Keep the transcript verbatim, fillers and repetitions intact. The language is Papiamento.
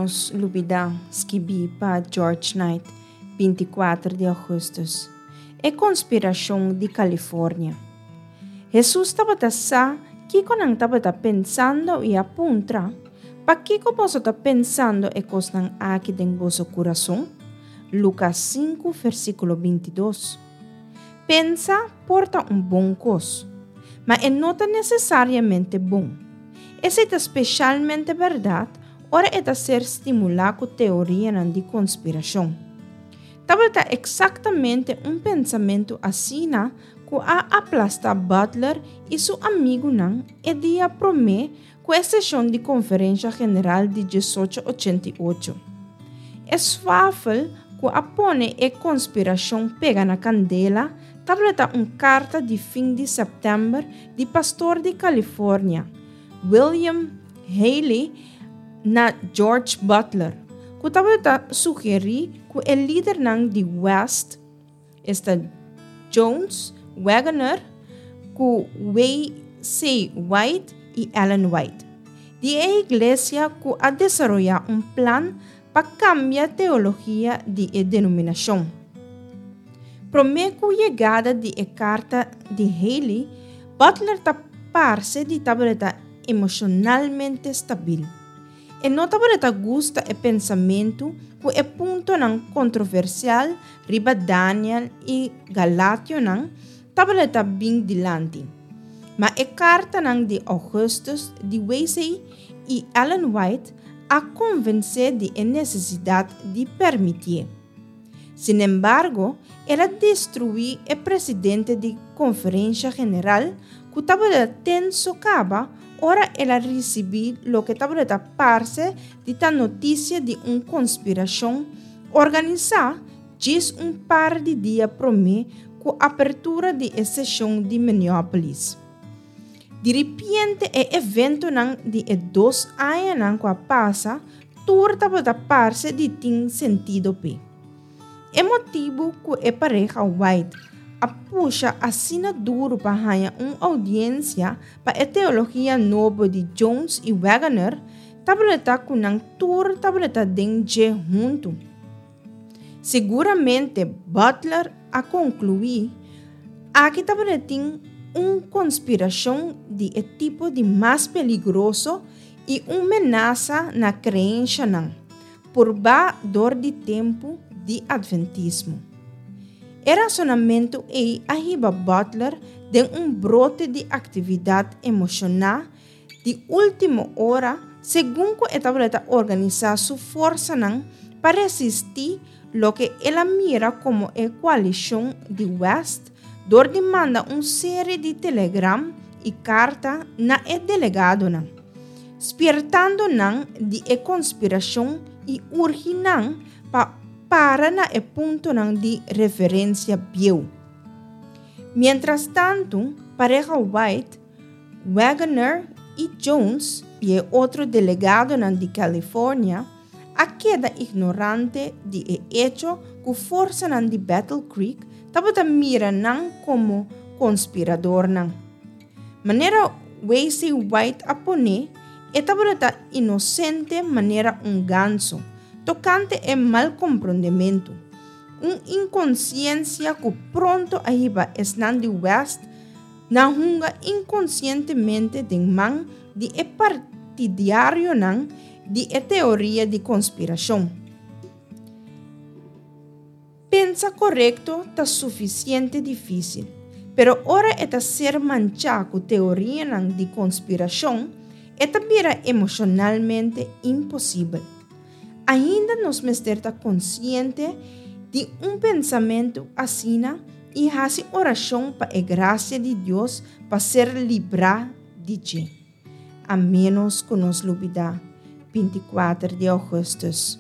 Nos Lubidá, skibí pa George Knight, binti kuater di ougùstùs. E Konspirashon di California. Hesus tabata sa kiko nan tabata pensando i a puntra, Pakiko boso ta pensando e kosnan aki den boso kurason? Lukas sinku versíkulo binti dos. Pensa por ta un bon kos, ma e no ta nesesariamente bon. Esei ta speshalmente bèrdat ora e ta ser stimulá ku teorianan di konspirashon. Tabata eksaktamente un pensamentu asina ku a aplastá Butler i su amigunan e dia promé ku e seshon di Konferensha General di diesocho ochenta i ocho. E swafel ku a pone e konspirashon pega na kandela tabata un karta di fin di sèptèmber di pastor di California, William Haley, na George Butler, ku tabata sugerí ku e lidernan di West, esta Jones, Waggoner, ku W C. White i Ellen White, di e iglesia ku a desaroyá un plan pa kambia teologia di e denominashon. Promé ku yegada di e karta di Haley, Butler ta parse di tabata emoshonalmente stabil. E no tabata gusta e pensamentu ku e puntonan kontroversial riba Daniel i Galationan tabata bin dilanti. Ma e kartanan di ougùstùs di Wesley i Ellen White a konvensé di e nesesidat di permitié. Sinembargo, el a destruí e presidente di Konferensha General ku tabata tenso kaba ora el a risibí loke tabata parse di ta notisia di un konspirashon organisá djis un par di dia promé ku apertura di e seshon di Minneapolis. Di ripiente e eventonan di e dos añanan ku a pasa tur tabata parse di tin sentido p'e. E motibu ku e pareha White a pusha asina duru pa haña un oudiensia pa e teologia nobo di Jones i Waggoner tabata ku nan tur tabata den dje huntu. Seguramente Butler a konkluí, aki tabatin un konspirashon di e tipo di mas peligroso i un menasa na kreenshanan, purbá dor di tempu di Atventismo. E rasonamentu ei a hiba Butler den un brote di aktividat emoshoná di último ora segun ku e tabata organisá su forsanan pa resistí loke el a mira komo e koalishon di West dor di manda un serie di telegram i karta na e delegadonan, spiertando nan di e konspirashon i urgi nan pa para na e puntonan di referensia bieu. Mientras tantu, pareha White, Waggoner i Jones i e otro delegadonan di California a keda ignorante di e echo ku forsanan di Battle Creek tabata mira nan komo konspiradornan. Manera W C. White a pone, e tabata inosente manera un ganso, tokante e malkomprondementu, un inkonsiensia ku pronto a hiba esnan di West na hunga inkonsientemente den man di e partidarionan di e teoria di konspirashon. Pensa korekto ta sufisiente difísil, pero ora e ta ser manchá ku teorianan di konspirashon, e ta bira emoshonalmente imposibel. Ainda nos mester ta konsiente di un pensamentu asina i hasi orashon pa e grasia di Dios pa ser librá di dje. A ménos ku nos lubidá, binti kuater di ougùstùs.